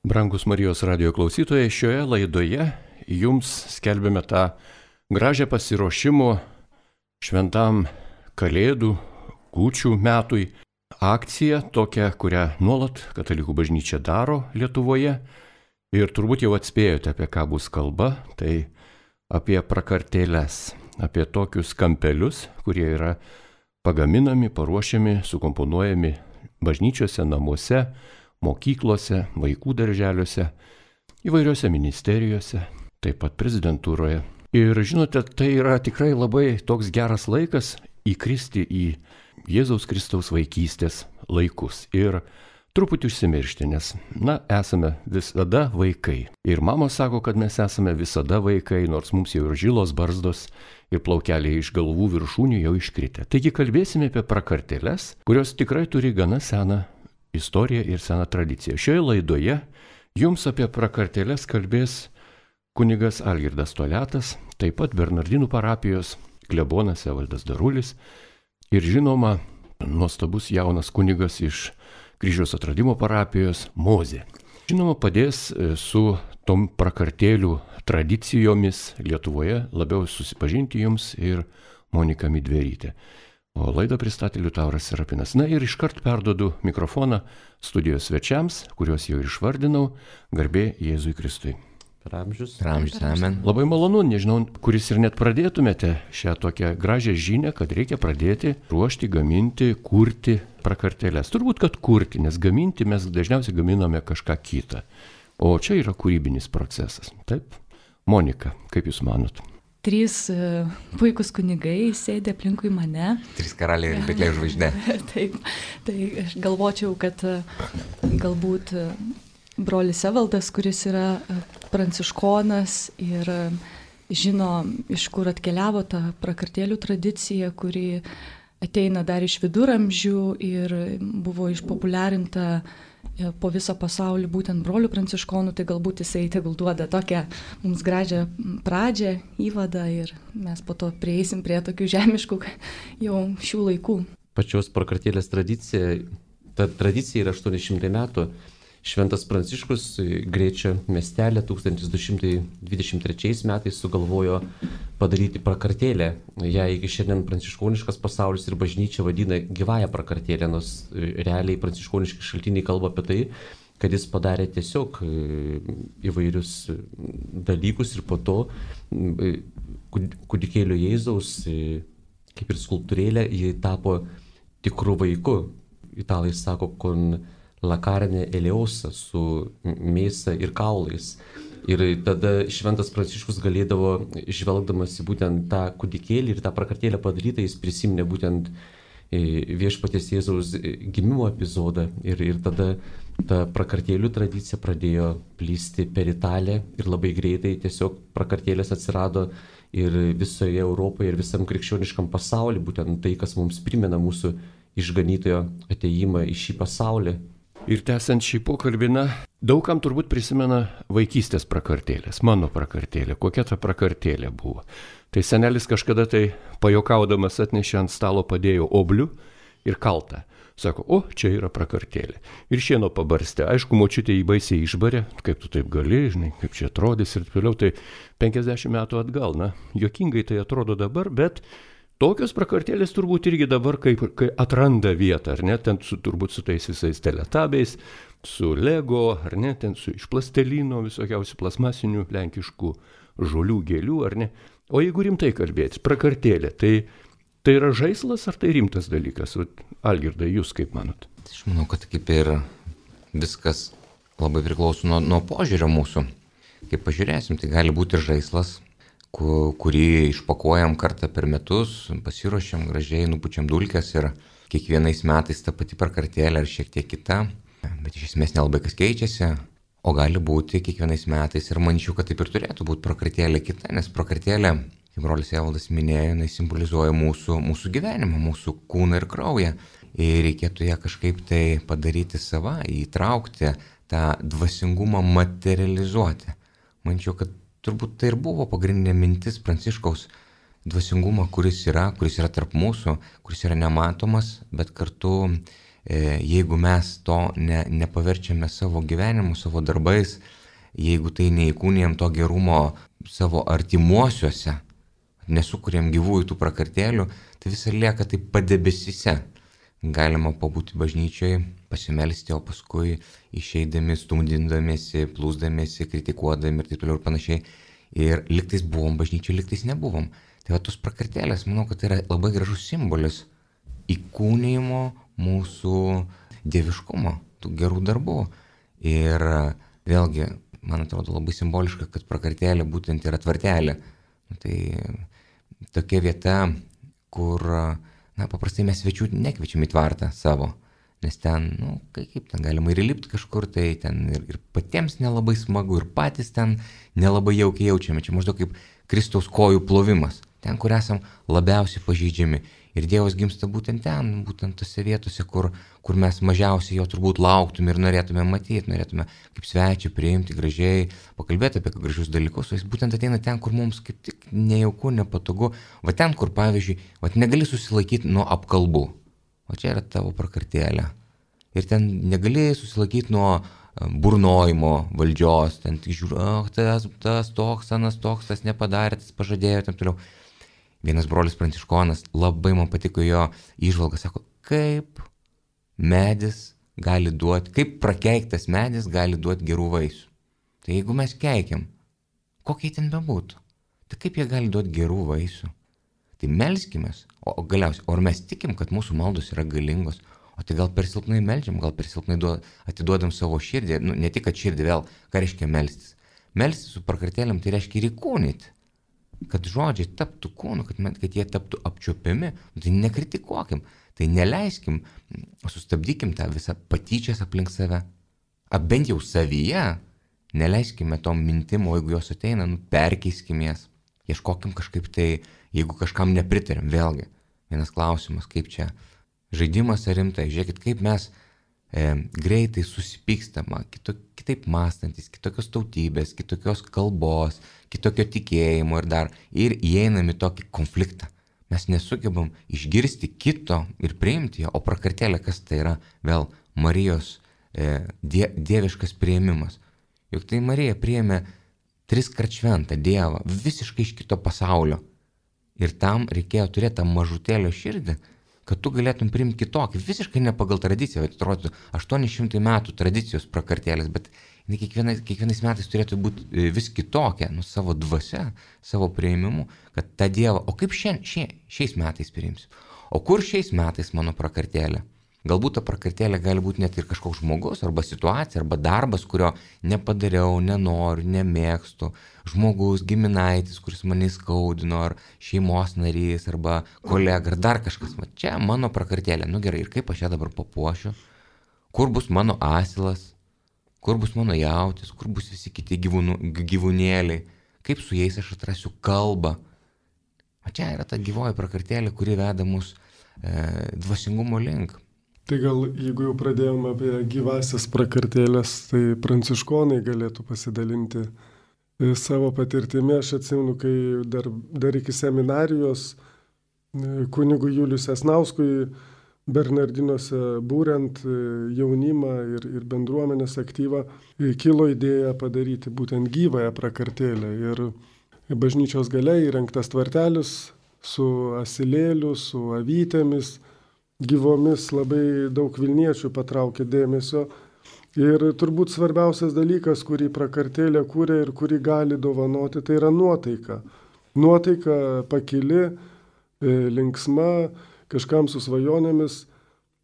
Brangus Marijos radijo klausytojai, šioje laidoje jums skelbėme tą gražią pasiruošimo šventam Kalėdų kūčių metui akciją, tokią, kurią nuolat Katalikų bažnyčia daro Lietuvoje. Ir turbūt jau atspėjote, apie ką bus kalba, tai apie prakartėles, apie tokius kampelius, kurie yra pagaminami, paruošiami, sukomponuojami bažnyčiose, namuose, mokyklose, vaikų darželiuose, įvairiose ministerijose, taip pat prezidentūroje. Ir žinote, tai yra tikrai labai toks geras laikas įkristi į Jėzaus Kristaus vaikystės laikus ir truputį užsimiršti, nes, esame visada vaikai. Ir mamos sako, kad mes esame visada vaikai, nors mums jau ir žilos barzdos ir plaukeliai iš galvų viršūnių jau iškritę. Taigi kalbėsime apie prakartėles, kurios tikrai turi gana seną istoriją ir seną tradiciją. Šioje laidoje jums apie prakartėles kalbės kunigas Algirdas Toliatas, taip pat Bernardinų parapijos klebonas Evaldas Darulis ir žinoma nuostabus jaunas kunigas iš Kryžiaus atradimo parapijos Mozė. Žinoma, padės su tom prakartėlių tradicijomis Lietuvoje labiau susipažinti jums ir Monika Midverytė. O laidą pristatė Liutauras Serapinas. Ir iškart perduodu mikrofoną studijos svečiams, kuriuos jau išvardinau, garbė Jėzui Kristui. Per amžius, amen. Labai malonu, nežinau, kuris ir net pradėtumėte šią tokią gražią žinią, kad reikia pradėti ruošti, gaminti, kurti prakartėles. Turbūt, kad kurti, nes gaminti mes dažniausiai gaminame kažką kitą. O čia yra kūrybinis procesas. Taip? Monika, kaip Jūs manot? 3 puikūs kunigai sėdė aplinkui mane. 3 karaliai ir Betlėjaus žvaigždė. Taip, tai aš galvočiau, kad galbūt brolis Evaldas, kuris yra pranciškonas ir žino, iš kur atkeliavo ta prakartėlių tradicija, kuri ateina dar iš viduramžių ir buvo išpopuliarinta po visą pasaulį būtent brolių pranciškonų, tai galbūt jisai tegul duoda tokią mums gražią pradžią, įvadą ir mes po to prieisim prie tokių žemiškų jau šių laikų. Pačios prakartėlės tradicija, ta tradicija yra 800 metų. Šventas Pranciškus Grėčio miestelė 1223 metais sugalvojo padaryti prakartėlę. Ją iki šiandien pranciškoniškas pasaulis ir bažnyčia vadina gyvąją prakartėlę, nors realiai pranciškoniški šaltiniai kalba apie tai, kad jis padarė tiesiog įvairius dalykus ir po to kūdikėlio Jėzaus, kaip ir skulptūrėlė, ji tapo tikru vaiku. Italai sako, con la carne eleosa, su mėsa ir kaulais. Ir tada Šventas Pranciškus galėdavo, žvelgdamas į būtent tą kūdikėlį ir tą prakartėlę padarytą, jis prisiminė būtent viešpaties Jėzaus gimimo epizodą. Ir tada ta prakartėlių tradicija pradėjo plysti per Italiją ir labai greitai tiesiog prakartėlės atsirado ir visoje Europoje ir visam krikščioniškam pasauliu, būtent tai, kas mums primena mūsų išganytojo atėjimą į šį pasaulį. Ir tęsiant šį pokalbį, daugam turbūt prisimena vaikystės prakartėlės, mano prakartėlė, kokia ta prakartėlė buvo. Tai senelis kažkada tai pajokaudamas atnešė ant stalo, padėjo oblių ir kaltą. Sako, čia yra prakartėlė. Ir šieno pabarstė. Aišku, močiutė jį baisiai išbarė, kaip tu taip gali, žinai, kaip čia atrodys ir toliau. Tai 50 metų atgal, juokingai tai atrodo dabar, bet tokios prakartėlės turbūt irgi dabar, kai atranda vietą, ar ne, ten turbūt su tais visais teletabiais, su Lego, ar ne, ten iš plastelino, visokiausių plasmasinių lenkiškų žolių, gėlių, ar ne. O jeigu rimtai kalbėti, prakartėlė, tai yra žaislas ar tai rimtas dalykas? Algirdai, jūs kaip manot? Aš manau, kad kaip ir viskas labai priklauso nuo požiūrio mūsų. Kaip pažiūrėsim, tai gali būti ir žaislas, kurį išpakuojam kartą per metus, pasiruošiam gražiai, nupučiam dulkes ir kiekvienais metais ta pati prakartėlė ar šiek tiek kita, bet iš esmės nelabai kas keičiasi, o gali būti kiekvienais metais ir manyčiau, kad taip ir turėtų būti prakartėlė kita, nes prakartėlė, kaip brolis Evaldas minėjo, jinai simbolizuoja mūsų gyvenimą, mūsų kūną ir kraują ir reikėtų ją kažkaip tai padaryti savą, įtraukti, tą dvasingumą materializuoti. Manyčiau, kad turbūt tai ir buvo pagrindinė mintis Pranciškaus dvasingumą, kuris yra tarp mūsų, kuris yra nematomas, bet kartu jeigu mes to nepaverčiame savo gyvenimu, savo darbais, jeigu tai neįkūnijam to gerumo savo artimuosiuose, nesukuriam gyvųjų tų prakartėlių, tai visą lieka taip padebesyse. Galima pabūti bažnyčioje, pasimelsti, o paskui išeidami, stumdindamiesi, plūsdamiesi, kritikuodami ir taip toliau ir panašiai. Ir liktais buvom bažnyčioje, liktais nebuvom. Tai va tos prakartėlės, manau, kad tai yra labai gražus simbolis įkūnijimo mūsų dieviškumo, tų gerų darbų. Ir vėlgi, man atrodo labai simboliška, kad prakartėlė būtent yra tvartelė. Tai tokia vieta, kur paprastai mes svečių nekviečiam į tvartą savo, nes ten, kaip ten galima ir įlipti kažkur, tai ten ir patiems nelabai smagu, ir patys ten nelabai jaukiai jaučiame. Čia maždaug kaip Kristaus kojų plovimas, ten, kur esam labiausiai pažeidžiami. Ir Dievas gimsta būtent ten, būtent tose vietose, kur mes mažiausiai jo turbūt lauktume ir norėtume matyti, norėtume kaip svečią priimti gražiai, pakalbėti apie gražius dalykus, o jis būtent ateina ten, kur mums kaip tik nejauku, nepatogu, va ten, kur pavyzdžiui, va negali susilaikyti nuo apkalbų, o čia yra tavo prakartėlė. Ir ten negali susilaikyti nuo burnojimo valdžios, ten tik žiūri, tas toks, anas toks, tas nepadarė, tas pažadėjo, tam toliau. Vienas brolis pranciškonas, labai man patiko jo įžvalga, sako, kaip medis gali duoti, kaip prakeiktas medis gali duoti gerų vaisių. Tai jeigu mes keikiam, kokie ten bebūtų, tai kaip jie gali duoti gerų vaisių? Tai melskimės, o galiausiai, ar mes tikim, kad mūsų maldos yra galingos, o tai gal per silpnai meldžiam, gal per silpnai atiduodam savo širdį, ne tik kad širdį vėl, ką reiškia melstis. Melstis su prakartėlėm tai reiškia ir įkūnyti. Kad žodžiai taptų kūnu, kad jie taptų apčiuopiami, tai nekritikuokim, tai neleiskim, sustabdykim tą visą patyčias aplink save. Bent jau savyje, neleiskime tom mintim, o jeigu jos ateina, perkeiskim jas. Ieškokim kažkaip tai, jeigu kažkam nepritarėm, vėlgi, vienas klausimas, kaip čia žaidimas ar rimtai, žiūrėkit, kaip mes greitai susipykstama, kitaip mąstantis, kitokios tautybės, kitokios kalbos, kitokio tikėjimo ir įeinam į tokį konfliktą. Mes nesugebam išgirsti kito ir priimti jo, o prakartėlė, kas tai yra vėl Marijos dieviškas priėmimas. Juk tai Marija priėmė 3 kart šventą Dievą, visiškai iš kito pasaulio. Ir tam reikėjo turėti tą mažutėlio širdį, kad tu galėtum priimti kitokį, visiškai ne pagal tradiciją, atrodytų 800 metų tradicijos prakartėlės, bet kiekvienais metais turėtų būti vis kitokia, savo dvasia, savo priėmimu, kad tą Dievą, o kaip šiais metais priimsiu, o kur šiais metais mano prakartėlė? Galbūt ta prakartėlė gali būti net ir kažkoks žmogus, arba situacija, arba darbas, kurio nepadariau, nenoriu, nemėgstu, žmogus, giminaitis, kuris mane įskaudino, ar šeimos narys, arba kolega, ar dar kažkas. Va, čia mano prakartėlė. Gerai, ir kaip aš ją dabar papuošiu? Kur bus mano asilas? Kur bus mano jautis? Kur bus visi kiti gyvūnėliai? Kaip su jais aš atrasiu kalbą? O čia yra ta gyvoji prakartėlė, kuri veda mus dvasingumo link. Tai gal, jeigu jau pradėjome apie gyvasias prakartėlės, tai pranciškonai galėtų pasidalinti savo patirtimi. Aš atsimenu, kai dar iki seminarijos kunigui Juliui Sesnauskui Bernardinuose būrent jaunimą ir bendruomenės aktyvą, kilo idėja padaryti būtent gyvąją prakartėlę. Ir bažnyčios gale įrengtas tvartelis su asilėliu, su avytėmis, gyvomis, labai daug vilniečių patraukė dėmesio. Ir turbūt svarbiausias dalykas, kurį prakartėlė kūrė ir kurį gali dovanoti, tai yra nuotaika. Nuotaika pakili, linksma, kažkam su svajonėmis,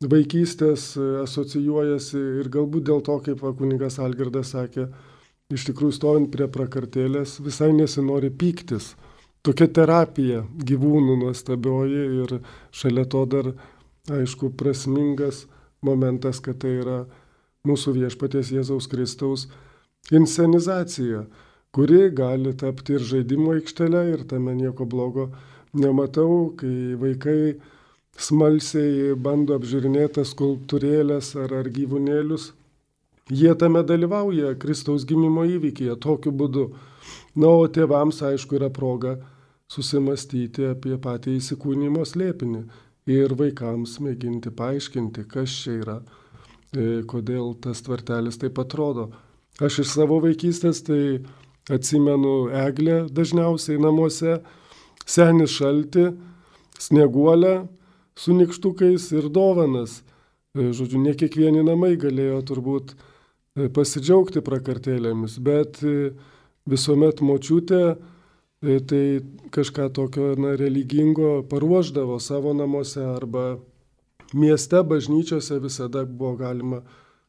vaikystės asocijuojasi ir galbūt dėl to, kaip kunigas Algirdas sakė, iš tikrųjų stovint prie prakartėlės visai nesinori pyktis. Tokia terapija gyvūnų nuostabioji ir šalia to dar aišku, prasmingas momentas, kad tai yra mūsų viešpaties Jėzaus Kristaus inscenizacija, kuri gali tapti ir žaidimo aikštelė, ir tame nieko blogo nematau, kai vaikai smalsiai bando apžiūrinėti skulptūrėlės ar gyvūnėlius. Jie tame dalyvauja Kristaus gimimo įvykyje tokiu būdu. O tėvams, aišku, yra proga susimastyti apie patį įsikūnijimo slėpinį. ir vaikams mėginti paaiškinti, kas čia yra, kodėl tas tvartelis taip atrodo. Aš iš savo vaikystės tai atsimenu eglę dažniausiai namuose, senį šaltį, snieguolę su nykštukais ir dovanas. Žodžiu, ne kiekvieni namai galėjo turbūt pasidžiaugti prakartėlėmis, bet visuomet močiutė tai kažką tokio religingo paruošdavo savo namuose arba mieste, bažnyčiose visada buvo galima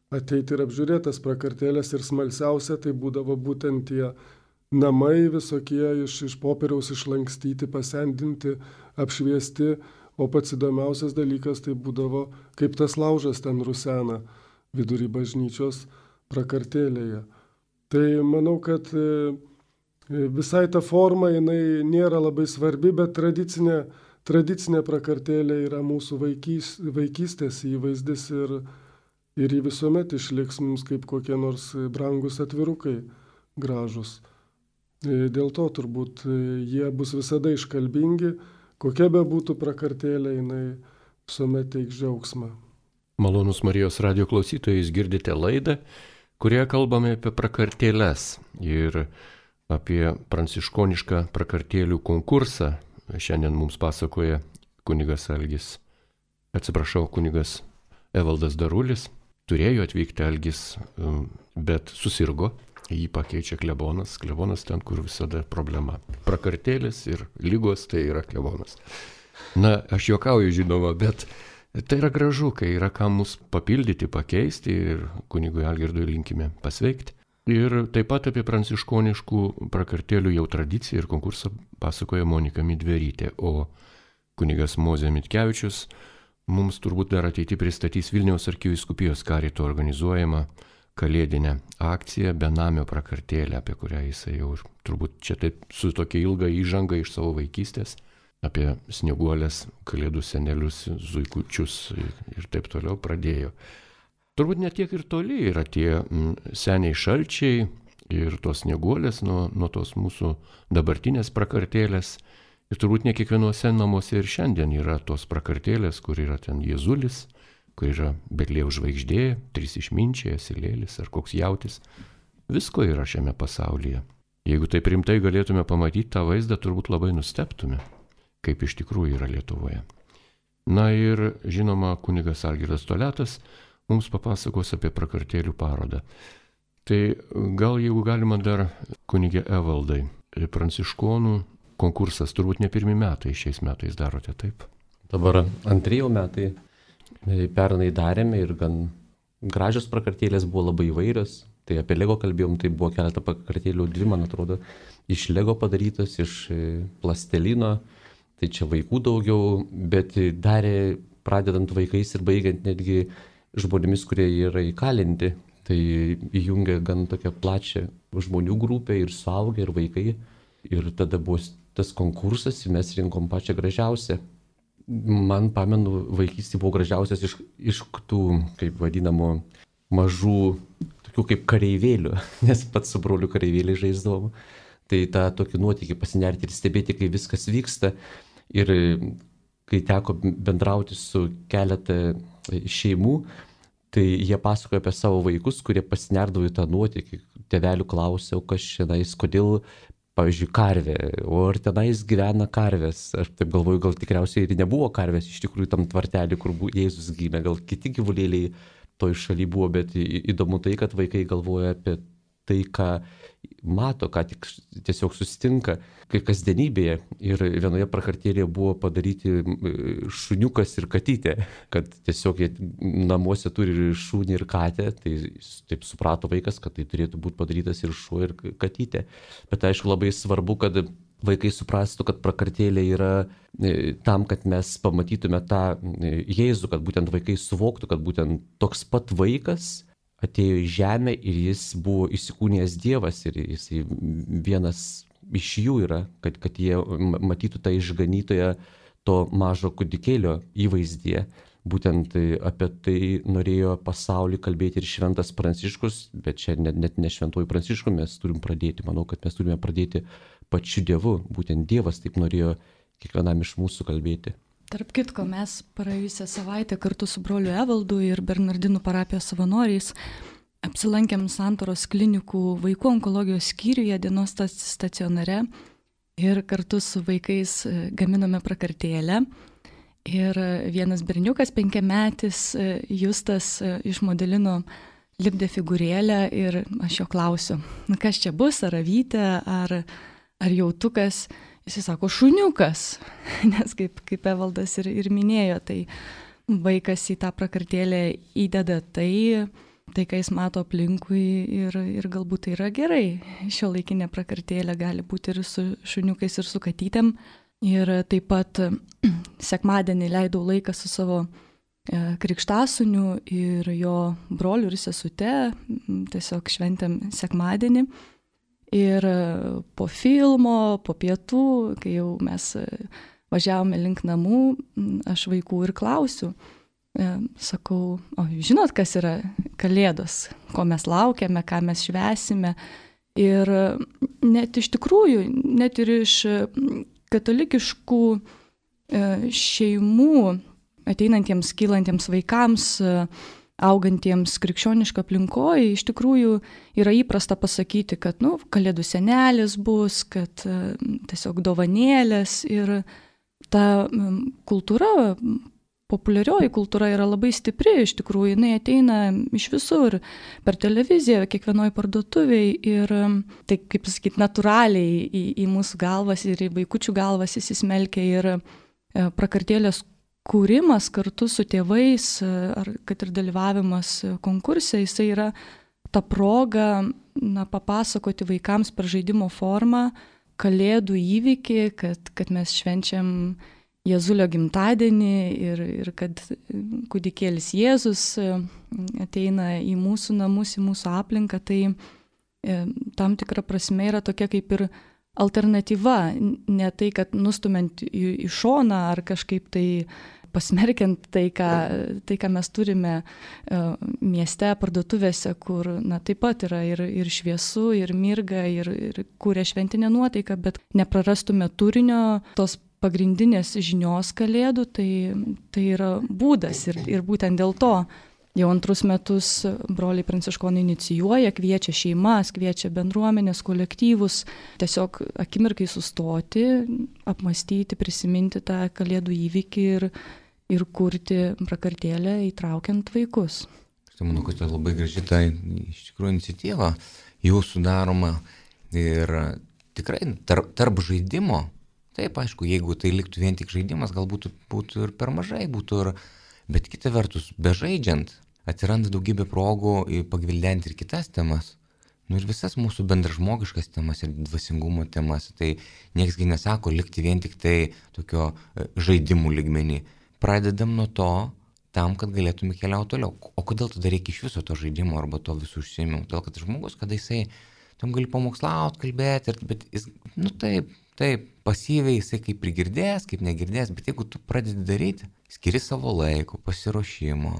ateiti ir apžiūrėtas prakartėlės ir smalsiausia tai būdavo būtent tie namai visokie iš popieriaus išlankstyti, pasendinti, apšviesti, o pats įdomiausias dalykas tai būdavo, kaip tas laužas ten rusena vidury bažnyčios prakartėlėje. Tai manau, kad visai ta forma jinai nėra labai svarbi, bet tradicinė prakartėlė yra mūsų vaikystės įvaizdis ir jį visuomet išliks mums kaip kokie nors brangus atvirukai gražus. Dėl to turbūt jie bus visada iškalbingi, kokia be būtų prakartėlė, jinai visuomet teiks džiaugsmą. Malonus Marijos radijo klausytojai, jūs girdite laidą, kurioje kalbame apie prakartėles ir apie pranciškonišką prakartėlių konkursą. Šiandien mums pasakoja kunigas kunigas Evaldas Darulis. Turėjo atvykti Algis, bet susirgo, jį pakeičia klebonas. Klebonas ten, kur visada problema. Prakartėlės ir lygos tai yra klebonas. Na, aš juokauju, žinoma, bet tai yra gražu, kai yra kam mus papildyti, pakeisti ir kunigui Algirdui linkime pasveikti. Ir taip pat apie pranciškoniškų prakartėlių jau tradiciją ir konkursą pasakoja Monika Midverytė, o kunigas Mozė Mitkevičius mums turbūt dar ateity pristatys Vilniaus arkivyskupijos karito organizuojamą kalėdinę akciją Benamio prakartėlę, apie kurią jisai jau turbūt čia taip su tokia ilga įžanga iš savo vaikystės, apie snieguolės, kalėdų senelius, zuikučius ir taip toliau pradėjo. Turbūt netiek ir toli yra tie seniai šalčiai ir tos snieguolės nuo tos mūsų dabartinės prakartėlės. Ir turbūt ne kiekvienuose namuose ir šiandien yra tos prakartėlės, kur yra ten Jėzulis, kur yra Betliejaus žvaigždė, 3 išminčiai, asilėlis ar koks jautis. Visko yra šiame pasaulyje. Jeigu taip rimtai galėtume pamatyti tą vaizdą, turbūt labai nustebtume, kaip iš tikrųjų yra Lietuvoje. Na ir žinoma, kunigas Algirdas Toliatas mums papasakos apie prakartėlių parodą. Tai gal jeigu galima dar kunigė Evaldai, pranciškonų konkursas, turbūt ne pirmi metai, šiais metais darote, taip? Dabar antrieji metai. Pernai darėme ir gan gražios prakartėlės buvo labai įvairios. Tai apie Lego kalbėjom, tai buvo keletą prakartėlių, 2, man atrodo, iš Lego padarytos, iš plastelino. Tai čia vaikų daugiau, bet darė pradedant vaikais ir baigiant netgi žmonėmis, kurie yra įkalinti. Tai įjungia gan tokią plačią žmonių grupę ir suaugę, ir vaikai. Ir tada buvo tas konkursas ir mes rinkom pačią gražiausią. Man pamenu, vaikystė buvo gražiausias iš tų, kaip vadinamų, mažų, tokių kaip kareivėlių, nes pats su broliu kareivėliai žaisdavom. Tai tą tokį nuotykį pasinerti ir stebėti, kai viskas vyksta. Ir kai teko bendrauti su keletą šeimų, tai jie pasakoja apie savo vaikus, kurie pasinerdavo į tą nuotykį. Tėvelių klausiau, kas šiandien, kodėl, pavyzdžiui, karvė, o ar tenais gyvena karvės. Aš taip galvoju, gal tikriausiai ir nebuvo karvės iš tikrųjų tam tvartelį, kur Jėzus gimė. Gal kiti gyvulėliai toj šaly buvo, bet įdomu tai, kad vaikai galvoja apie tai, ką mato, ką tik tiesiog susitinka, kai kasdienybėje. Ir vienoje prakartėlėje buvo padaryti šuniukas ir katytė, kad tiesiog jie namuose turi šunį ir katę, tai taip suprato vaikas, kad tai turėtų būti padarytas ir šuo ir katytė. Bet aišku, labai svarbu, kad vaikai suprastų, kad prakartėlė yra tam, kad mes pamatytume tą Jėzų, kad būtent vaikai suvoktų, kad būtent toks pat vaikas atėjo į žemę ir jis buvo įsikūnijęs Dievas ir jis vienas iš jų yra, kad jie matytų tą išganytoją to mažo kūdikėlio įvaizdyje. Būtent apie tai norėjo pasaulį kalbėti ir šventas Pranciškus, bet čia net ne šventuoju Prancišku mes turim pradėti. Manau, kad mes turime pradėti pačiu Dievu. Būtent Dievas taip norėjo kiekvienam iš mūsų kalbėti. Tarp kitko, mes praėjusią savaitę kartu su broliu Evaldu ir Bernardinų parapijos savanoriais apsilankėm Santaros klinikų vaikų onkologijos skyriuje dienos stacionare ir kartu su vaikais gaminome prakartėlę. Ir vienas berniukas, 5-metis, Justas, išmodelino lipdė figūrėlę ir aš jo klausiu, kas čia bus, ar avytė, ar jautukas. Jis sako, šuniukas, nes kaip Evaldas ir minėjo, tai vaikas į tą prakartėlę įdeda tai, ką jis mato aplinkui ir galbūt tai yra gerai. Šiuolaikinė prakartėlė gali būti ir su šuniukais, ir su katytėm. Ir taip pat sekmadienį leidau laiką su savo krikštasūniu ir jo broliu ir sesute, tiesiog šventėm sekmadienį. Ir po filmo, po pietų, kai jau mes važiavome link namų, aš vaikų ir klausiu. Sakau, o žinot, kas yra Kalėdos, ko mes laukiame, ką mes švęsime. Ir net iš tikrųjų, net ir iš katalikiškų šeimų ateinantiems, kylantiems vaikams, augantiems krikščioniško aplinkoje, iš tikrųjų yra įprasta pasakyti, kad Kalėdų senelis bus, kad tiesiog dovanėlės ir ta kultūra, populiarioji kultūra yra labai stipri, iš tikrųjų jinai ateina iš visur, per televiziją, kiekvienoje parduotuvėje ir tai, kaip sakyti, natūraliai į mūsų galvas ir į vaikučių galvas įsismelkia ir prakartėlės kūrimas kartu su tėvais, ar kad ir dalyvavimas konkurse, jisai yra ta proga papasakoti vaikams per žaidimo formą Kalėdų įvykį, kad mes švenčiam Jėzulio gimtadienį ir kad kūdikėlis Jėzus ateina į mūsų namus, į mūsų aplinką, tai tam tikra prasme yra tokia kaip ir alternatyva, ne tai, kad nustumiant į šoną ar kažkaip tai pasmerkiant tai, ką mes turime mieste, parduotuvėse, kur taip pat yra ir šviesu, ir mirga, ir kūrė šventinę nuotaiką, bet neprarastume turinio tos pagrindinės žinios Kalėdų, tai yra būdas ir būtent dėl to jau 2 metus broliai pranciškonai inicijuoja, kviečia šeimas, kviečia bendruomenės, kolektyvus, tiesiog akimirkai sustoti, apmastyti, prisiminti tą Kalėdų įvykį ir kurti prakartėlę įtraukiant vaikus. Aš manau, kad tai labai graži ta iš tikrųjų iniciatyva jūsų daroma ir tikrai tarp žaidimo, taip aišku, jeigu tai liktų vien tik žaidimas, galbūt būtų ir per mažai, bet kita vertus, bežaidžiant, atsiranda daugybė progų pagvildenti ir kitas temas. Ir visas mūsų bendražmogiškas temas ir dvasingumo temas. Tai nieksgi nesako likti vien tik tai tokio žaidimų lygmenį. Pradedam nuo to, tam, kad galėtume keliauti toliau. O kodėl tada reikia iš viso to žaidimo arba to visų užsiėmimų? Todėl, kad žmogus, kada jisai tam gali pamokslauti, kalbėti, bet jis, taip, pasyviai jisai kaip prigirdės, kaip negirdės, bet jeigu tu pradedi daryti, skiri savo laiko, pasiruošimo,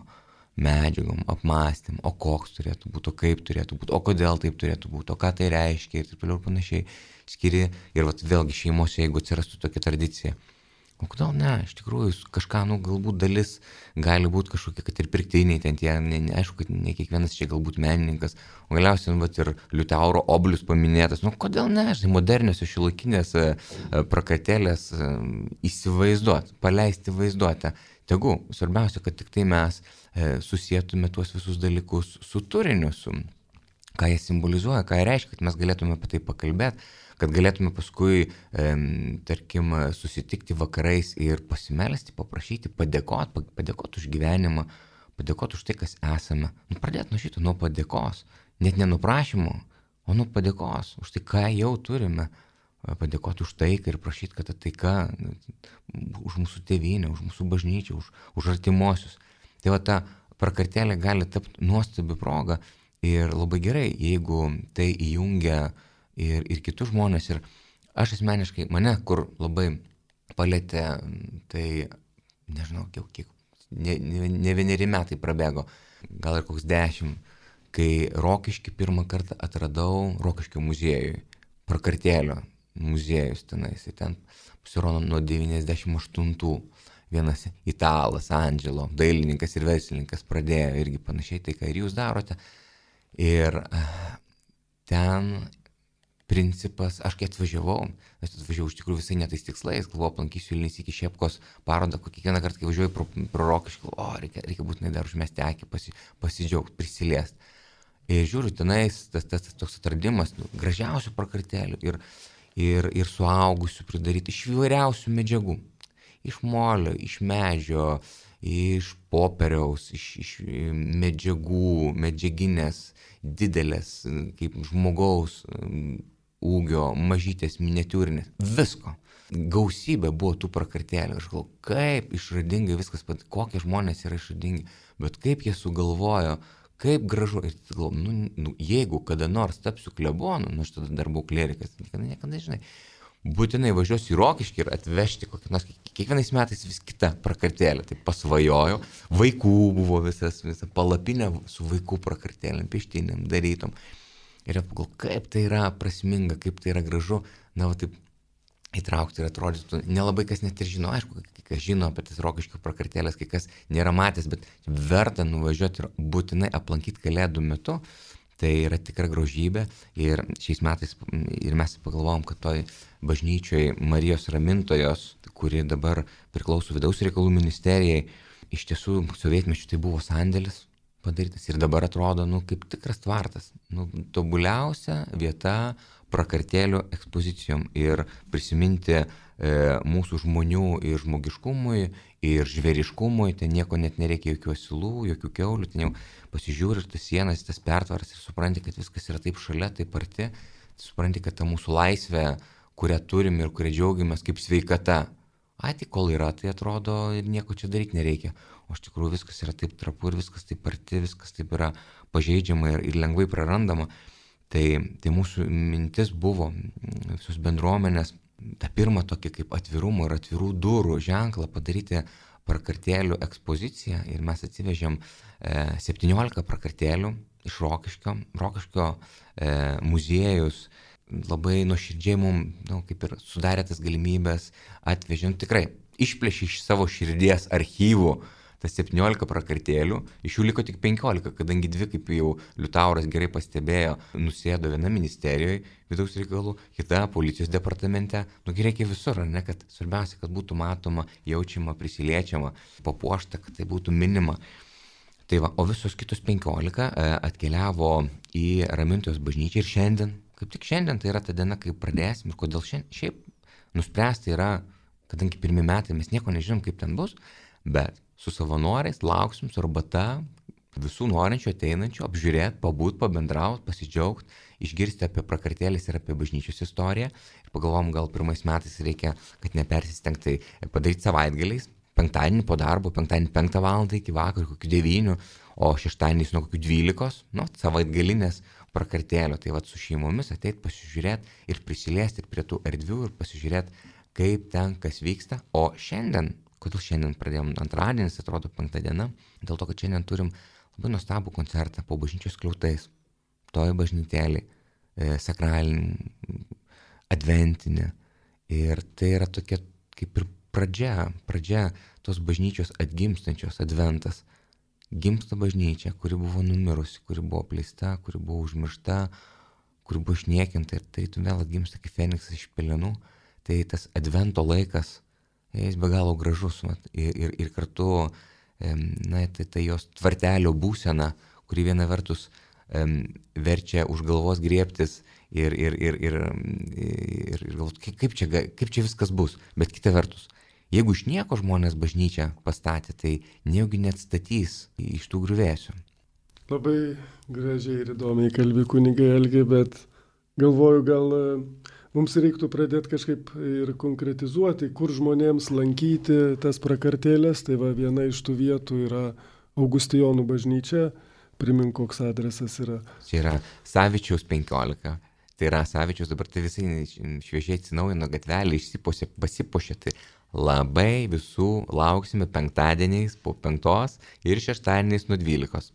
medžiagom, apmąstym, o koks turėtų būti, o kaip turėtų būti, o kodėl taip turėtų būti, o ką tai reiškia ir taip toliau ir panašiai. Skiri ir vėlgi šeimose, jeigu atsirastų tokia tradicija. O kodėl ne, iš tikrųjų kažką, galbūt dalis gali būti kažkokie, kad ir pirktiniai ten tie, aišku, kad ne kiekvienas čia galbūt menininkas, o galiausiai ir Liutauro Oblius paminėtas, kodėl ne, modernios šiuolaikinės prakartėlės įsivaizduoti, paleisti vaizduotę. Tegu, svarbiausia, kad tik tai mes susietume tuos visus dalykus su turiniu, su ką jie simbolizuoja, ką jie reiškia, kad mes galėtume apie tai pakalbėti, kad galėtume paskui, tarkim, susitikti vakarais ir pasimelsti, paprašyti, padėkoti už gyvenimą, padėkoti už tai, kas esame. Pradėti nuo šito, nuo padėkos, net ne nuo prašymo, o nuo padėkos, už tai, ką jau turime. Padėkoti už taiką ir prašyti, kad ta taika už mūsų tėvynę, už mūsų bažnyčią, už artimuosius. Tai va ta prakartėlė gali tapti nuostabi proga ir labai gerai, jeigu tai įjungia ir kitus žmonės. Ir aš asmeniškai, mane kur labai palėtė, tai nežinau, kiek, ne 1 metai prabėgo, gal ir koks 10, kai Rokiškį pirmą kartą atradau Rokiškio muziejui, prakartėlio muziejus tenais, ten pasirodo nuo 98. vienas italas, Andželo, dailininkas ir verslininkas pradėjo irgi panašiai tai, ką ir jūs darote. Ir ten principas, aš kai atvažiavau iš tikrųjų visai netais tikslais, galvoju, aplankysiu Vilnius iki Šepkos parodą, kiekvieną kartą, kai važiuoju pro Rokiškį, reikia būtinai dar užmesti akį, pasidžiaugti, prisiliesti. Ir žiūriu, tenais tas toks atradimas, gražiausių prakartėlių ir suaugusių pridaryti iš įvairiausių medžiagų. Iš molio, iš medžio, iš popieriaus, iš medžiagų, medžiaginės, didelės, kaip žmogaus ūgio, mažytės, miniatiūrinės, visko. Gausybė buvo tų prakartėlių. Aš galvoju, kaip išradingai viskas, kokie žmonės yra išradingi, bet kaip jie sugalvojo, kaip gražu. Ir galvoju, jeigu kada nors tapsiu klebonu, aš tada dar buvau klerikas, niekada žinai, būtinai važiuosiu į Rokiškį ir atvežti kokią nors, kiekvienais metais vis kita prakartėlė, tai pasvajojau, vaikų buvo visa palapinė su vaikų prakartėlėm, pieštinėm, darytom. Ir pagalvoju, kaip tai yra prasminga, kaip tai yra gražu, taip įtraukti ir atrodytų, nelabai kas net ir žino, aišku, kai kas žino apie tas Rokiškio prakartėlės, kai kas nėra matęs, bet verta nuvažiuoti ir būtinai aplankyti Kalėdų metu. Tai yra tikra grožybė ir šiais metais ir mes pagalvojom, kad toj bažnyčioj Marijos Ramintojos, kuri dabar priklauso Vidaus reikalų ministerijai, iš tiesų sovietmečiu tai buvo sandėlis padarytas ir dabar atrodo, kaip tikras tvartas, tobuliausia vieta prakartėlių ekspozicijom ir prisiminti mūsų žmonių ir žmogiškumui, ir žvėriškumui, ten nieko net nereikia, jokių asilų, jokių kiaulių, ten jau pasižiūri ir tas sienas, tas pertvaras ir supranti, kad viskas yra taip šalia, taip arti, supranti, kad ta mūsų laisvė, kurią turim ir kurią džiaugiamės kaip sveikata, tai kol yra, tai atrodo ir nieko čia daryti nereikia, o iš tikrųjų viskas yra taip trapu ir viskas taip arti, viskas taip yra pažeidžiama ir lengvai prarandama. Tai mūsų mintis buvo visos bendruomenės tą pirmą tokį kaip atvirumo ir atvirų durų ženklą padaryti prakartėlių ekspoziciją ir mes atsivežėm 17 prakartėlių iš Rokiškio muziejus labai nuoširdžiai mums kaip ir sudarė tas galimybės, atvežėm tikrai, išplėšė iš savo širdies archyvų tas 17 prakartėlių, iš jų liko tik 15, kadangi 2, kaip jau Liutauras gerai pastebėjo, nusėdo viena ministerijoje vidaus reikalų, kita policijos departamente, reikia visur, ne, kad svarbiausia, kad būtų matoma, jaučiama, prisiliečiama, papuošta, kad tai būtų minima. Tai va, o visos kitos 15 atkeliavo į Ramintojos bažnyčią ir šiandien, kaip tik šiandien, tai yra ta diena, kai pradėsim ir kodėl šiaip nuspręsti yra, kadangi pirmi metai mes nieko nežinom, kaip ten bus, bet su savanoriais lauksim su arbata visų norinčių ateinančių apžiūrėti, pabūt, pabendrauti, pasidžiaugti, išgirsti apie prakartėlės ir apie bažnyčios istoriją. Ir pagalvom, gal pirmais metais reikia, kad nepersistengti padaryti savaitgaliais, penktadienį po darbo, penktadienį 5 valandą iki vakaro, kokių 9, o šeštadieniais nuo kokių 12, savaitgalinės prakartėlio. Tai su šeimomis ateit pasižiūrėti ir prisiliesti ir prie tų erdvių ir pasižiūrėti, kaip ten kas vyksta. O šiandien, kodėl šiandien pradėjom antradienis, atrodo 5 diena, dėl to, kad šiandien turim labai nuostabų koncertą po bažnyčios skliautais, toj bažnytėlį, sakralinį, adventinį. Ir tai yra tokia kaip ir pradžia tos bažnyčios atgimstančios, adventas. Gimsta bažnyčia, kuri buvo numirusi, kuri buvo apleista, kuri buvo užmiršta, kuri buvo išniekinta ir tarytum vėl atgimsta kaip Feniksas iš pelenų. Tai tas advento laikas, jis be galo gražus ir kartu tai jos tvartelio būsena, kuri viena vertus verčia už galvos griebtis ir galvoti, kaip čia viskas bus, bet kita vertus, jeigu iš nieko žmonės bažnyčią pastatė, tai nejaugi neatstatys iš tų griuvėsių. Labai gražiai ir įdomiai kalbi kunigai Algi, bet galvoju, gal mums reiktų pradėti kažkaip ir konkretizuoti, kur žmonėms lankyti tas prakartėlės. Tai va, viena iš tų vietų yra Augustijonų bažnyčia. Primink, koks adresas yra. Čia yra Savičiaus 15. Tai yra Savičiaus, dabar tai visai šviežiai atsinaujino gatvelį, pasipuošė. Tai labai visų lauksime penktadieniais po 5 ir šeštadieniais nuo 12.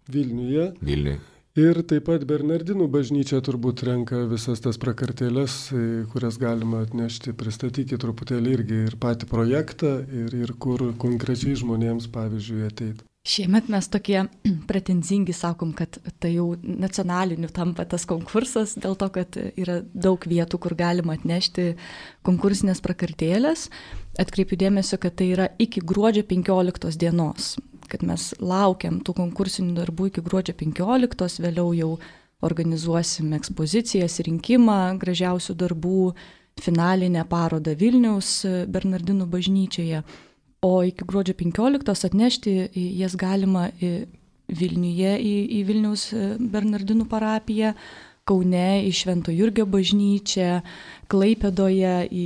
Vilniuje. Ir taip pat Bernardinų bažnyčia turbūt renka visas tas prakartėlės, kurias galima atnešti. Pristatykite truputėlį irgi ir patį projektą, ir kur konkrečiai žmonėms, pavyzdžiui, ateiti. Šiemet mes tokie pretenzingi sakom, kad tai jau nacionaliniu tampa tas konkursas, dėl to, kad yra daug vietų, kur galima atnešti konkursinės prakartėlės. Atkreipiu dėmesio, kad tai yra iki gruodžio 15 dienos. Kad mes laukiam tų konkursinių darbų iki gruodžio 15, vėliau jau organizuosim ekspozicijas, rinkimą gražiausių darbų, finalinę parodą Vilniaus Bernardinų bažnyčioje. O iki gruodžio 15 atnešti jas galima Vilniuje į Vilniaus Bernardinų parapiją, Kaune į Švento Jurgio bažnyčią, Klaipėdoje į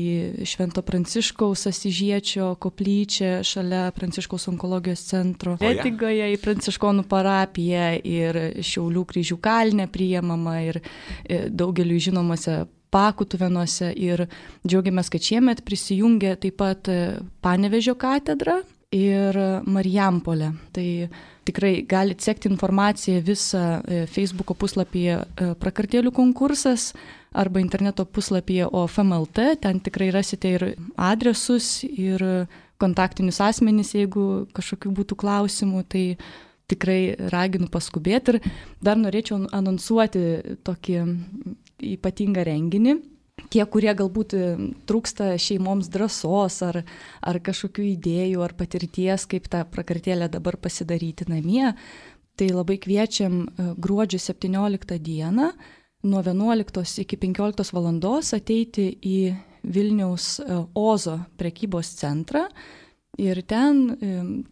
Švento Pranciškaus Asyžiečio koplyčią šalia Pranciškaus onkologijos centro, Kretingoje į Pranciškonų parapiją ir Šiaulių Kryžių kalne priimama ir daugeliu žinomose Pakutuvėnuose. Ir džiaugiamės, kad šiemet prisijungė taip pat Panevėžio katedra ir Marijampolė. Tai tikrai galite sekti informaciją visą Facebooko puslapyje prakartėlių konkursas arba interneto puslapyje OFM.lt. Ten tikrai rasite ir adresus, ir kontaktinius asmenys, jeigu kažkokių būtų klausimų. Tai tikrai raginu paskubėti. Ir dar norėčiau anonsuoti tokį ypatingą renginį. Tie, kurie galbūt trūksta šeimoms drąsos ar kažkokių idėjų ar patirties, kaip tą prakartėlę dabar pasidaryti namie, tai labai kviečiam gruodžio 17 dieną nuo 11 iki 15 valandos ateiti į Vilniaus Ozo prekybos centrą ir ten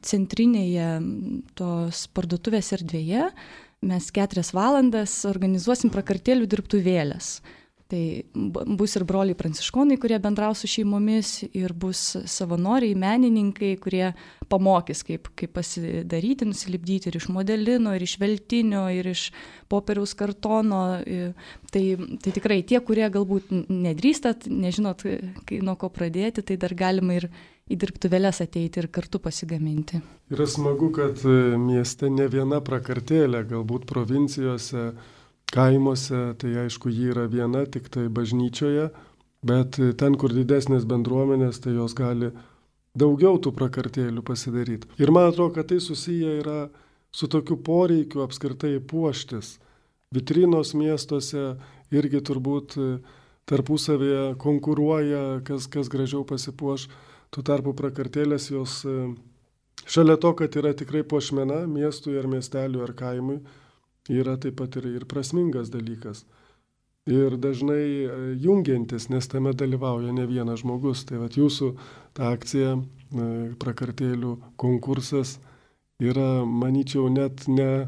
centrinėje tos parduotuvės erdvėje mes 4 valandas organizuosim prakartėlių dirbtuvėlės. Tai bus ir broliai pranciškonai, kurie bendraus su šeimomis, ir bus savanoriai, menininkai, kurie pamokys, kaip pasidaryti, nusilipdyti ir iš modelino, ir iš veltinio, ir iš popieriaus kartono. Tai tikrai tie, kurie galbūt nedrįstat, nežinot, nuo ko pradėti, tai dar galima ir į dirbtuvėles ateiti ir kartu pasigaminti. Yra smagu, kad mieste ne viena prakartėlė, galbūt provincijose, kaimuose, tai aišku, ji yra viena, tik tai bažnyčioje, bet ten, kur didesnės bendruomenės, tai jos gali daugiau tų prakartėlių pasidaryti. Ir man atrodo, kad tai susiję yra su tokiu poreikiu apskritai puoštis. Vitrinos miestuose irgi turbūt tarpusavėje konkuruoja, kas gražiau pasipuoš. Tuo tarpu prakartėlės jos šalia to, kad yra tikrai puošmena miestui ar miesteliui ar kaimui, yra taip pat ir prasmingas dalykas. Ir dažnai jungiantis, nes tame dalyvauja ne vienas žmogus. Tai vat jūsų ta akcija, prakartėlių konkursas, yra, manyčiau, net ne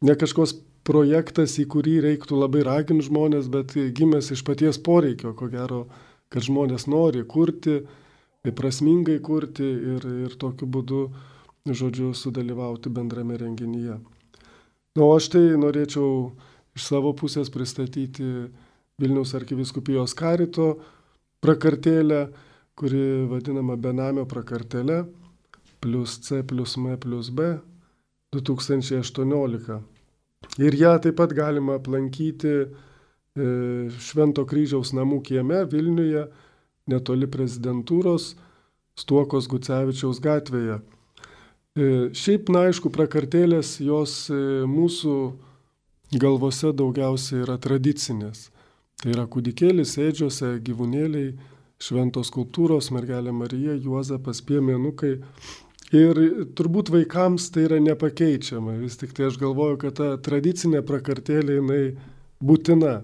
kažkoks projektas, į kurį reiktų labai raginti žmonės, bet gimęs iš paties poreikio, ko gero, kad žmonės nori kurti, prasmingai kurti ir tokiu būdu, žodžiu, sudalyvauti bendrame renginyje. O aš tai norėčiau iš savo pusės pristatyti Vilniaus arkivyskupijos karito prakartėlę, kuri vadinama benamio prakartėlė +C+M+B 2018. Ir ją taip pat galima aplankyti Švento Kryžiaus namų kieme Vilniuje, netoli prezidentūros, Stuokos Gucevičiaus gatvėje. Šiaip, na, aišku, prakartėlės jos mūsų galvose daugiausiai yra tradicinės. Tai yra kūdikėlis ėdžiose, gyvūnėliai, šventos skulptūros, mergelė Marija, Juozapas, piemenukai. Ir turbūt vaikams tai yra nepakeičiama. Vis tik tai aš galvoju, kad ta tradicinė prakartėlė jinai būtina.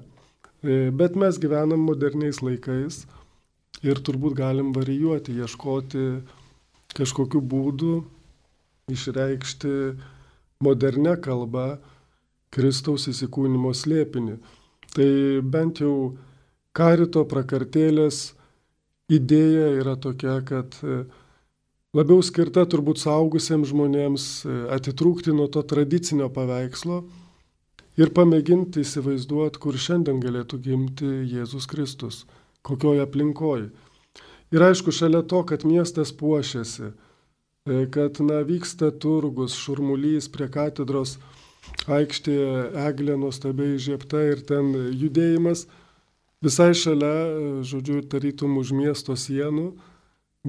Bet mes gyvenam moderniais laikais ir turbūt galim varijuoti, ieškoti kažkokių būdų, išreikšti modernę kalbą Kristaus įsikūnimo slėpinį. Tai bent jau karito prakartėlės idėja yra tokia, kad labiau skirta turbūt suaugusiems žmonėms atitrūkti nuo to tradicinio paveikslo ir pamėginti įsivaizduoti, kur šiandien galėtų gimti Jėzus Kristus, kokioje aplinkoje. Ir aišku, šalia to, kad miestas puošiasi, kad vyksta turgus, šurmulys prie katedros, aikštėje eglė nuostabiai įžiebta ir ten judėjimas. Visai šalia, žodžiu, tarytum už miesto sienų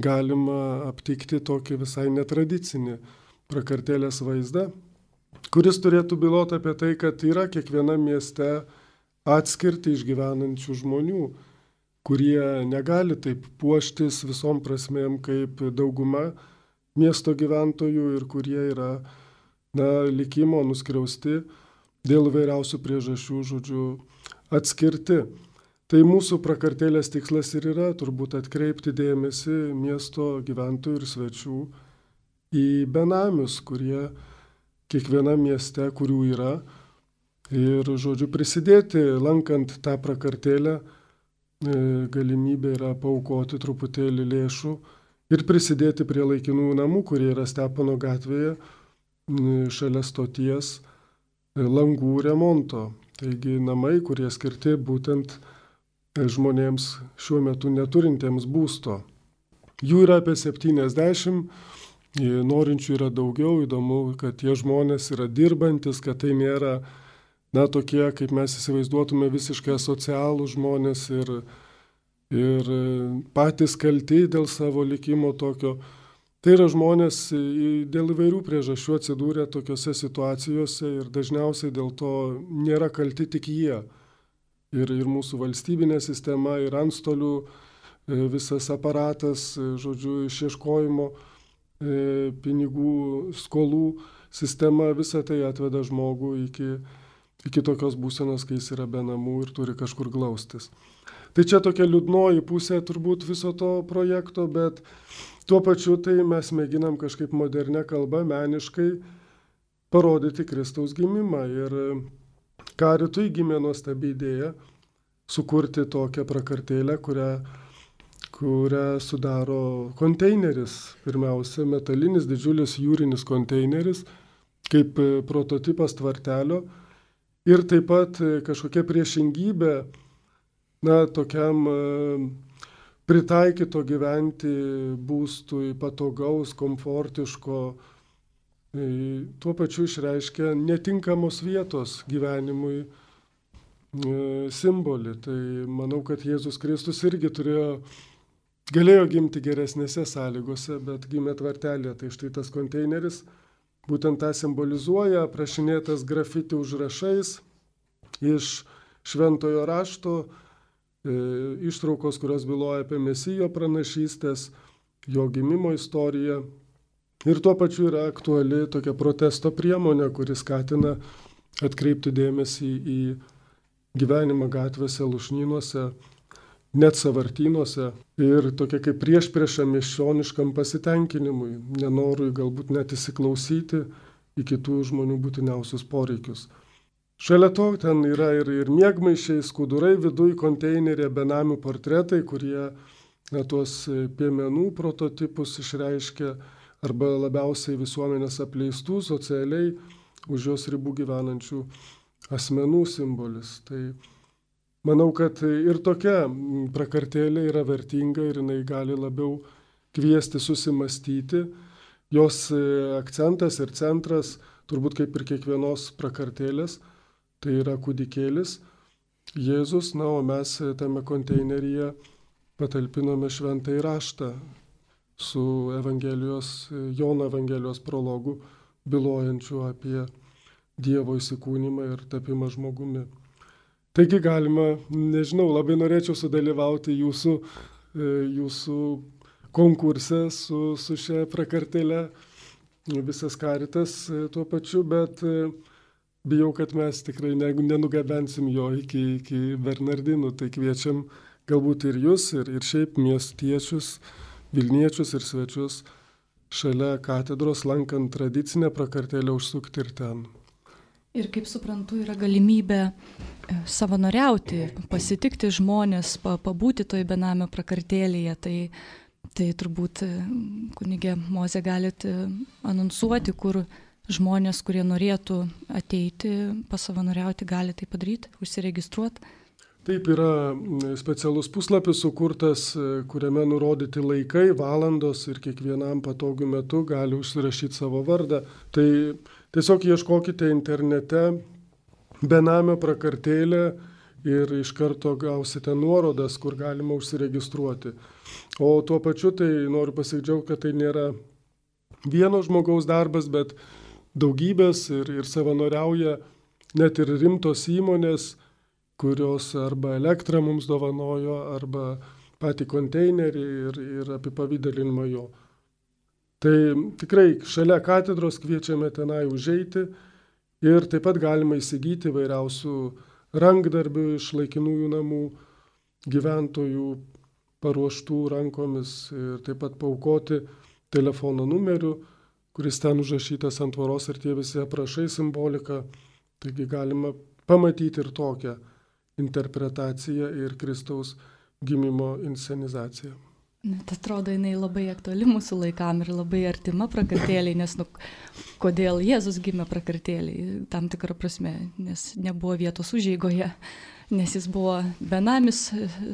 galima aptikti tokį visai netradicinį prakartėlės vaizdą, kuris turėtų byloti apie tai, kad yra kiekvienam mieste atskirti išgyvenančių žmonių, kurie negali taip puoštis visom prasmėm kaip dauguma miesto gyventojų ir kurie yra, likimo nuskriausti dėl vairiausių priežasčių, žodžiu, atskirti. Tai mūsų prakartėlės tikslas ir yra turbūt atkreipti dėmesį miesto gyventojų ir svečių į benamius, kurie kiekvienam mieste, kurių yra, ir, žodžiu, prisidėti, lankant tą prakartėlę, galimybė yra paaukoti truputėlį lėšų ir prisidėti prie laikinųjų namų, kurie yra Stepono gatvėje, šalia stoties, langų remonto. Taigi namai, kurie skirti būtent žmonėms šiuo metu neturintiems būsto. Jų yra apie 70, norinčių yra daugiau, įdomu, kad tie žmonės yra dirbantis, kad tai nėra, tokie, kaip mes įsivaizduotume, visiškai asocialų žmonės ir patys kalti dėl savo likimo tokio. Tai yra žmonės dėl įvairių priežasčių atsidūrę tokiose situacijose ir dažniausiai dėl to nėra kalti tik jie. Ir mūsų valstybinė sistema, ir antstolių visas aparatas, žodžiu, išieškojimo pinigų, skolų sistema, visa tai atveda žmogų iki tokios būsenos, kai jis yra be namų ir turi kažkur glaustis. Tai čia tokia liūdnoji pusė turbūt viso to projekto, bet tuo pačiu tai mes mėginam kažkaip modernę kalbą, meniškai parodyti Kristaus gimimą. Ir Karitui gimė nuostabi idėja sukurti tokią prakartėlę, kurią sudaro konteineris. Pirmiausia, metalinis didžiulis jūrinis konteineris, kaip prototipas tvartelio. Ir taip pat kažkokia priešingybė, tokiam pritaikyto gyventi būstui, patogaus, komfortiško, tuo pačiu išreiškia netinkamos vietos gyvenimui simbolį. Tai manau, kad Jėzus Kristus irgi galėjo gimti geresnėse sąlygose, bet gimė tvartelėje. Tai štai tas konteineris būtent tą simbolizuoja, aprašinėtas grafiti užrašais iš šventojo rašto, ištraukos, kurios byloja apie Mesijo pranašystės, jo gimimo istoriją. Ir tuo pačiu yra aktuali tokia protesto priemonė, kuri skatina atkreipti dėmesį į gyvenimą gatvėse, lušnynuose, net savartynuose ir tokia kaip priešprieša miesčioniškam pasitenkinimui, nenorui galbūt net įsiklausyti į kitų žmonių būtiniausius poreikius. Šalia to ten yra ir miegmaišiai, skudurai, viduj konteinerė, benamių portretai, kurie tuos piemenų prototipus išreiškia, arba labiausiai visuomenės apleistų, socialiai už jos ribų gyvenančių asmenų simbolis. Tai manau, kad ir tokia prakartėlė yra vertinga ir jinai gali labiau kviesti susimastyti. Jos akcentas ir centras, turbūt kaip ir kiekvienos prakartėlės, tai yra kūdikėlis Jėzus, o mes tame konteineryje patalpinome šventąjį raštą su Jono Evangelijos prologu, bylojančiu apie Dievo įsikūnymą ir tapimą žmogumi. Taigi galima, nežinau, labai norėčiau sudalyvauti jūsų konkurse su šia prakartėle, visas Karitas tuo pačiu, bet bijau, kad mes tikrai nenugabensim jo iki Bernardinų, tai kviečiam galbūt ir jūs, ir šiaip miestiečius, Vilniečius ir svečius šalia katedros, lankant tradicinę prakartėlę, užsukti ir ten. Ir kaip suprantu, yra galimybė savanoriauti, pasitikti žmonės, pabūti toj benamio prakartėlėje. Tai turbūt, kunigė Mozė, galite anonsuoti, kur žmonės, kurie norėtų ateiti, pasavanoriauti, gali tai padaryti, užsiregistruoti. Taip, yra specialus puslapis sukurtas, kuriame nurodyti laikai, valandos ir kiekvienam patogiu metu gali užsirašyti savo vardą. Tai tiesiog ieškokite internete benamio prakartėlė ir iš karto gausite nuorodas, kur galima užsiregistruoti. O tuo pačiu tai noriu pasidžiaugti, kad tai nėra vieno žmogaus darbas, bet daugybės ir savanoriauja net ir rimtos įmonės, kurios arba elektrą mums dovanojo, arba patį konteinerį ir apipavydalinimą jo. Tai tikrai šalia katedros kviečiame tenai užeiti ir taip pat galima įsigyti vairiausių rankdarbių iš laikinųjų namų gyventojų paruoštų rankomis ir taip pat paaukoti telefono numeriu, kuris ten užrašytas ant tvoros ir tie visi aprašai simbolika. Taigi galima pamatyti ir tokią interpretaciją ir Kristaus gimimo inscenizaciją. Net atrodo, jinai labai aktuali mūsų laikam ir labai artima prakartėliai, nes kodėl Jėzus gimė prakartėliai, tam tikrą prasme, nes nebuvo vietos užeigoje, nes jis buvo benamis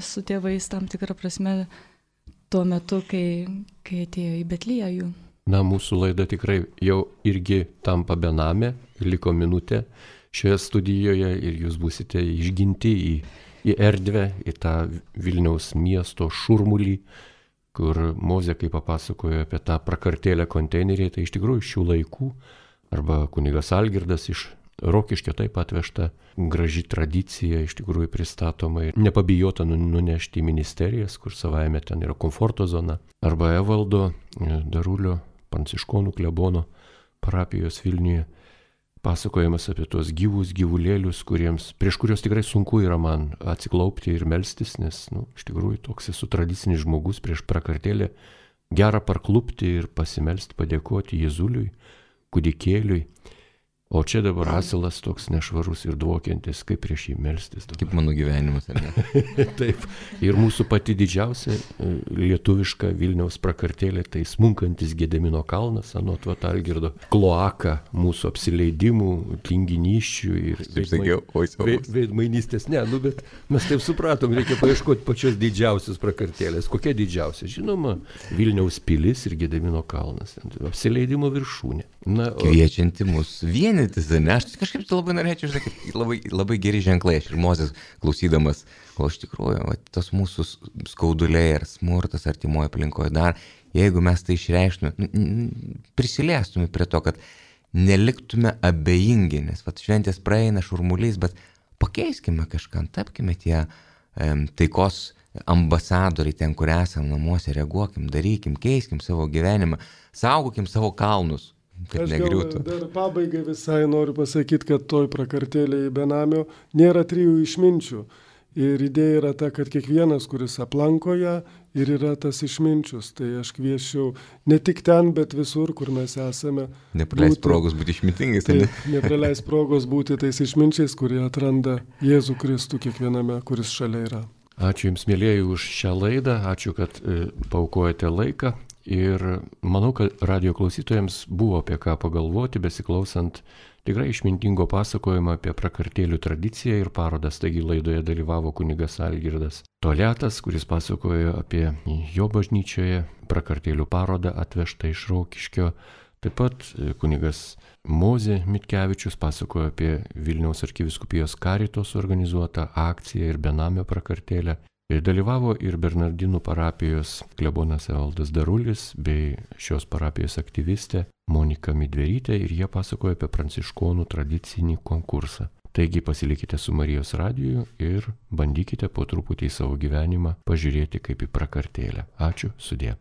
su tėvais tam tikrą prasme tuo metu, kai atėjo į Betliejų. Na, mūsų laida tikrai jau irgi tampa benamė, liko minutė šioje studijoje ir jūs būsite išginti į erdvę, į tą Vilniaus miesto šurmulį, kur Mozė, kai papasakojo apie tą prakartėlę konteinerį, tai iš tikrųjų šių laikų, arba kunigas Algirdas iš Rokiškio taip atvežta graži tradicija, iš tikrųjų pristatoma ir nepabijota nunešti į ministerijas, kur savaime ten yra komforto zona, arba Evaldo Darulio pranciškonų klebono parapijos Vilniuje pasakojimas apie tuos gyvulėlius, prieš kurios tikrai sunku yra man atsiklaupti ir melstis, nes iš tikrųjų toks esu tradicinis žmogus prieš prakartėlę, gera parklupti ir pasimelsti, padėkoti Jėzuliui, kūdikėliui. O čia dabar asilas toks nešvarus ir dvokiantis, kaip prieš jį melstis. Kaip mano gyvenimas, ar ne? Taip. Ir mūsų pati didžiausia lietuviška Vilniaus prakartėlė, tai smunkantis Gedemino kalnas, anot Algirdo, kloaka mūsų apsileidimų, tinginysčių ir veidmainystės. Ne, bet mes taip supratom, reikia paieškoti pačios didžiausios prakartėlės. Kokia didžiausia? Žinoma, Vilniaus pilis ir Gedemino kalnas. Apsileidimo viršūnė. Kviečianti mus vienytis, ne? Aš kažkaip labai norėčiau, labai geri ženklai, aš ir Mozės klausydamas, o iš tikrųjų, tos mūsų skauduliai ar smurtas artimoje aplinkoje dar, jeigu mes tai išreištume, prisiliestume prie to, kad neliktume abejingi, nes šventės praeina šurmuliais, bet pakeiskime kažką, tapkime tie taikos ambasadoriai ten, kur esam namuose, reaguokim, darykim, keiskim savo gyvenimą, saugokim savo kalnus. Aš dar pabaigai visai noriu pasakyti, kad toj prakartėlėje benamio nėra 3 išminčių. Ir idėja yra ta, kad kiekvienas, kuris aplanko ją, ir yra tas išminčius. Tai aš kvieščiau ne tik ten, bet visur, kur mes esame. Nepraleis progos būti išmintingais. Taip, nepraleis progos būti tais išminčiais, kurie atranda Jėzų Kristų kiekviename, kuris šalia yra. Ačiū Jums, mėlyjeji, už šią laidą. Ačiū, kad paaukojate laiką. Ir manau, kad radio klausytojams buvo apie ką pagalvoti, besiklausant tikrai išmintingo pasakojimo apie prakartėlių tradiciją ir parodas. Taigi laidoje dalyvavo kunigas Algirdas Toliatas, kuris pasakojo apie jo bažnyčioje prakartėlių parodą atvežtą iš Rokiškio. Taip pat kunigas Mozė Mitkevičius pasakojo apie Vilniaus arkivyskupijos Karitos organizuotą akciją ir benamio prakartėlę. Ir dalyvavo ir Bernardinų parapijos klebonas Evaldas Darulis bei šios parapijos aktyvistė Monika Midverytė ir jie pasakojo apie pranciškonų tradicinį konkursą. Taigi pasilikite su Marijos radiju ir bandykite po truputį į savo gyvenimą pažiūrėti kaip į prakartėlę. Ačiū, sudie.